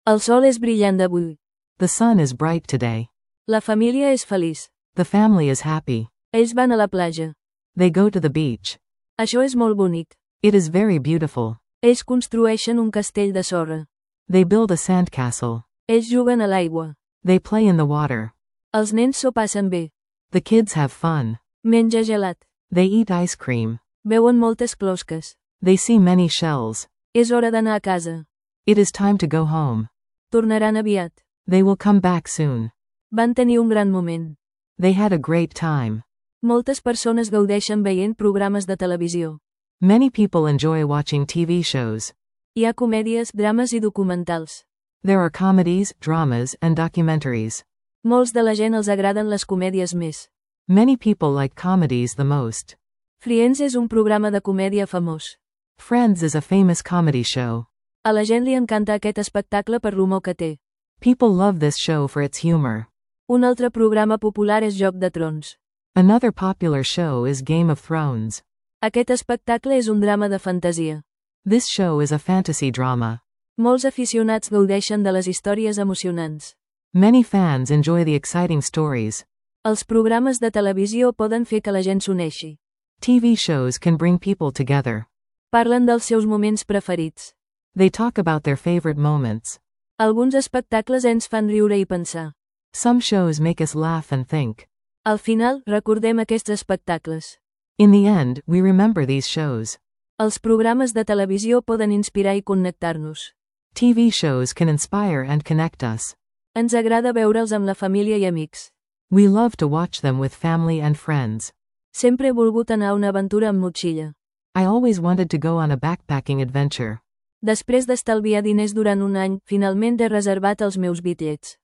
El sol és brillant avui. The sun is bright today. La família és feliç. The family is happy. Ells van a la platja. They go to the beach. Això és molt bonic. It is very beautiful. Ells construeixen un castell de sorra. They build a sandcastle. Ells juguen a l'aigua. They play in the water. Els nens s'ho passen bé. The kids have fun. Menja gelat. They eat ice cream. Veuen moltes closques. They see many shells. És hora d'anar a casa. It is time to go home. Tornaran aviat. They will come back soon. Van tenir un gran moment. They had a great time. Moltes persones gaudeixen veient programes de televisió. Many people enjoy watching TV shows. Hi ha comèdies, drames i documentals. There are comedies, dramas, and documentaries. Molts de la gent els agraden les comèdies més. Many people like comedies the most. Friends és un programa de comèdia famós. Friends is a famous comedy show. A la gent li encanta aquest espectacle per l'humor que té. People love this show for its humor. Un altre programa popular és Joc de Trons. Another popular show is Game of Thrones. Aquest espectacle és un drama de fantasia. This show is a fantasy drama. Molts aficionats gaudeixen de les històries emocionants. Many fans enjoy the exciting stories. Els programes de televisió poden fer que la gent s'uneixi. TV shows can bring people together. Parlen dels seus moments preferits. They talk about their favorite moments. Alguns espectacles ens fan riure i pensar. Some shows make us laugh and think. Al final, recordem aquests espectacles. In the end, we remember these shows. Els programes de televisió poden inspirar i connectar-nos. TV shows can inspire and connect us. Ens agrada veure'ls amb la família i amics. We love to watch them with family and friends. Sempre he volgut anar a una aventura amb motxilla. I always wanted to go on a backpacking adventure. Després d'estalviar diners durant un any, finalment he reservat els meus bitllets.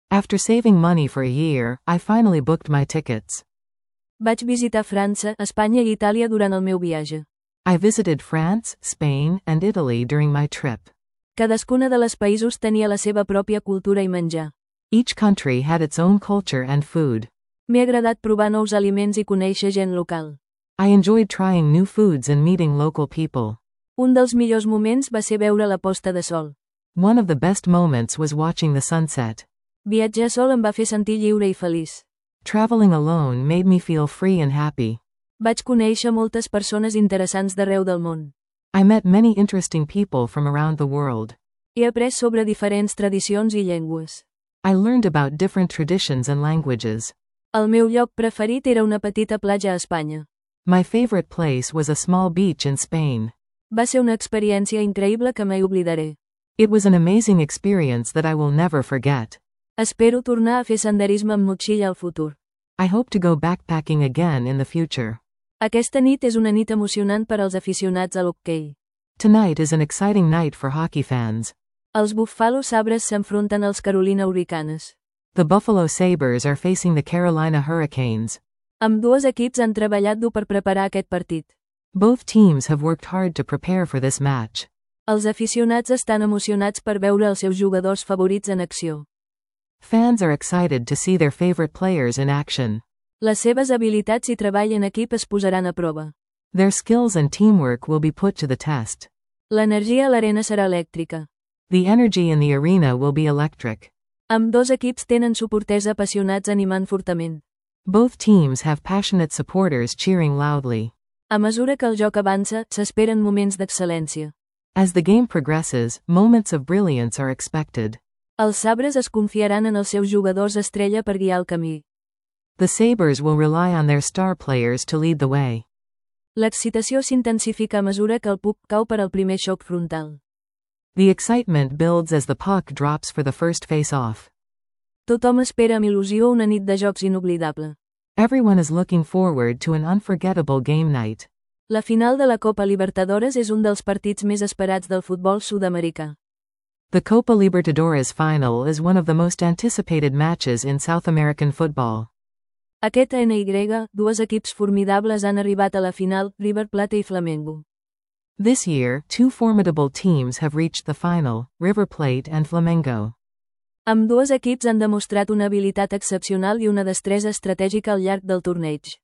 After saving money for a year, I finally booked my tickets. Vaig visitar França, Espanya i Itàlia durant el meu viatge. I visited France, Spain, and Italy during my trip. Cadascuna de les països tenia la seva pròpia cultura i menjar. Each country had its own culture and food. M'he agradat provar nous aliments i conèixer gent local. I enjoyed trying new foods and meeting local people. Un dels millors moments va ser veure la posta de sol. One of the best moments was watching the sunset. Viatjar sol em va fer sentir lliure i feliç. Traveling alone made me feel free and happy. Vaig conèixer moltes persones interessants d'arreu del món. I met many interesting people from around the world. He après sobre diferents tradicions i llengües. I learned about different traditions and languages. El meu lloc preferit era una petita platja a Espanya. My favorite place was a small beach in Spain. Va ser una experiència increïble que mai oblidaré. It was an amazing experience that I will never forget. Espero tornar a fer senderisme amb motxilla al futur. I hope to go backpacking again in the future. Aquesta nit és una nit emocionant per als aficionats a l'hoquei. Tonight is an exciting night for hockey fans. Els Buffalo Sabres s'enfronten als Carolina Hurricanes. The Buffalo Sabres are facing the Carolina Hurricanes. Ambdues equips han treballat dur per preparar aquest partit. Both teams have worked hard to prepare for this match. Els aficionats estan emocionats per veure els seus jugadors favorits en acció. Fans are excited to see their favorite players in action. Les seves habilitats i treball en equip es posaran a prova. Their skills and teamwork will be put to the test. L'energia a l'arena serà elèctrica. The energy in the arena will be electric. Ambdós equips tenen suporters apassionats animant fortament. Both teams have passionate supporters cheering loudly. A mesura que el joc avança, s'esperen moments d'excel·lència. As the game progresses, moments of brilliance are expected. Els Sabres es confiaran en els seus jugadors estrella per guiar el camí. The Sabres will rely on their star players to lead the way. L'excitació s'intensifica a mesura que el puck cau per al primer xoc frontal. The excitement builds as the puck drops for the first face-off. Tothom espera amb il·lusió una nit de jocs inoblidable. Everyone is looking forward to an unforgettable game night. La final de la Copa Libertadores és un dels partits més esperats del futbol sud-americà. The Copa Libertadores final is one of the most anticipated matches in South American football. Aquest NY, dues equips formidables han arribat a la final, River Plate i Flamengo. This year, two formidable teams have reached the final, River Plate and Flamengo. Ambdues equips han demostrat una habilitat excepcional i una destresa estratègica al llarg del torneig.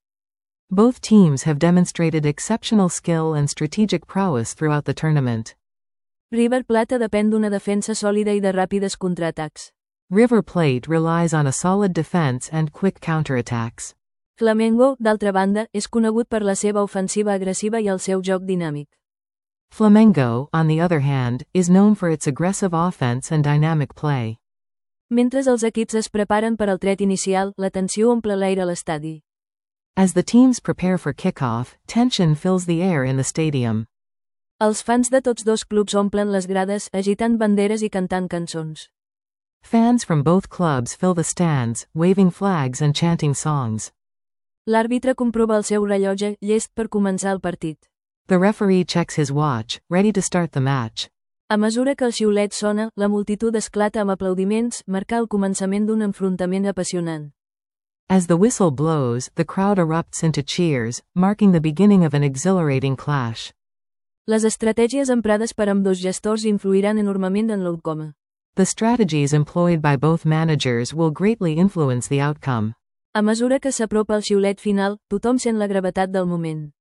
Both teams have demonstrated exceptional skill and strategic prowess throughout the tournament. River Plate depèn d'una defensa sòlida i de ràpides contraatacs. River Plate relies on a solid defense and quick counterattacks. Flamengo, d'altra banda, és conegut per la seva ofensiva agressiva i el seu joc dinàmic. Flamengo, on the other hand, is known for its aggressive offense and dynamic play. Mentre els equips es preparen per al tret inicial, la tensió omple l'aire a l'estadi. As the teams prepare for kickoff, tension fills the air in the stadium. Els fans de tots dos clubs omplen les grades, agitant banderes i cantant cançons. Fans from both clubs fill the stands, waving flags and chanting songs. L'àrbitre comprova el seu rellotge, llest per començar el partit. The referee checks his watch, ready to start the match. A mesura que el xiulet sona, la multitud esclata amb aplaudiments, marcar el començament d'un enfrontament apassionant. As the whistle blows, the crowd erupts into cheers, marking the beginning of an exhilarating clash. Les estratègies emprades per ambdós gestors influiran enormement en l'outcome. The strategies employed by both managers will greatly influence the outcome. A mesura que s'apropa el xiulet final, tothom sent la gravetat del moment.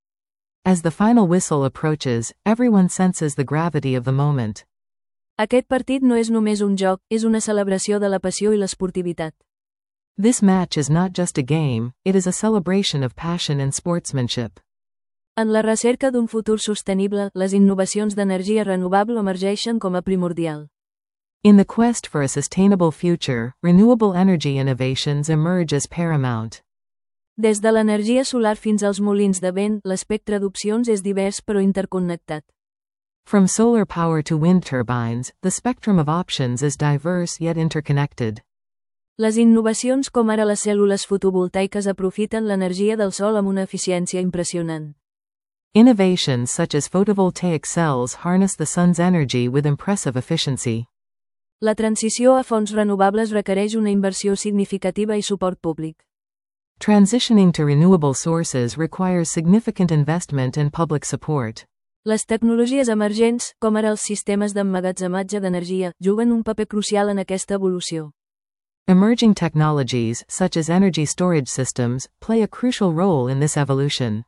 As the final whistle approaches, everyone senses the gravity of the moment. Aquest partit no és només un joc, és una celebració de la passió i l'esportivitat. This match is not just a game, it is a celebration of passion and sportsmanship. En la recerca d'un futur sostenible, les innovacions d'energia renovable emergeixen com a primordial. In the quest for a sustainable future, renewable energy innovations emerge as paramount. Des de l'energia solar fins als molins de vent, l'espectre d'opcions és divers però interconnectat. From solar power to wind turbines, the spectrum of options is diverse yet interconnected. Les innovacions com ara les cèl·lules fotovoltaiques aprofiten l'energia del sol amb una eficiència impressionant. Innovations such as photovoltaic cells harness the sun's energy with impressive efficiency. La transició a fonts renovables requereix una inversió significativa i suport públic. Transitioning to renewable sources requires significant investment and public support. Les tecnologies emergents, com ara els sistemes d'emmagatzematge d'energia, juguen un paper crucial en aquesta evolució. Emerging technologies, such as energy storage systems, play a crucial role in this evolution.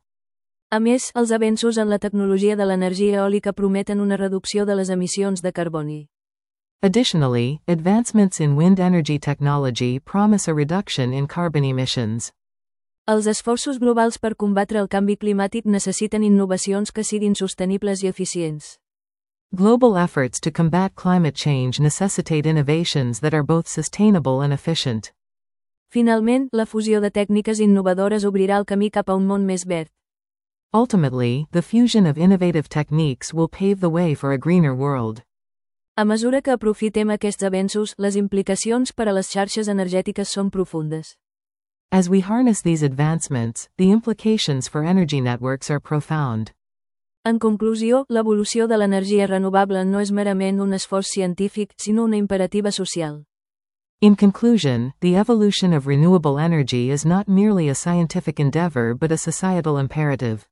A més, els avenços en la tecnologia de l'energia eòlica prometen una reducció de les emissions de carboni. Additionally, advancements in wind energy technology promise a reduction in carbon emissions. Els esforços globals per combatre el canvi climàtic necessiten innovacions que siguin sostenibles i eficients. Global efforts to combat climate change necessitate innovations that are both sustainable and efficient. Finalment, la fusió de tècniques innovadores obrirà el camí cap a un món més verd. Ultimately, the fusion of innovative techniques will pave the way for a greener world. A mesura que aprofitem aquests avenços, les implicacions per a les xarxes energètiques són profundes. As we harness these advancements, the implications for energy networks are profound. En conclusió, l'evolució de l'energia renovable no és merament un esforç científic, sinó una imperativa social. In conclusion, the evolution of renewable energy is not merely a scientific endeavor but a societal imperative.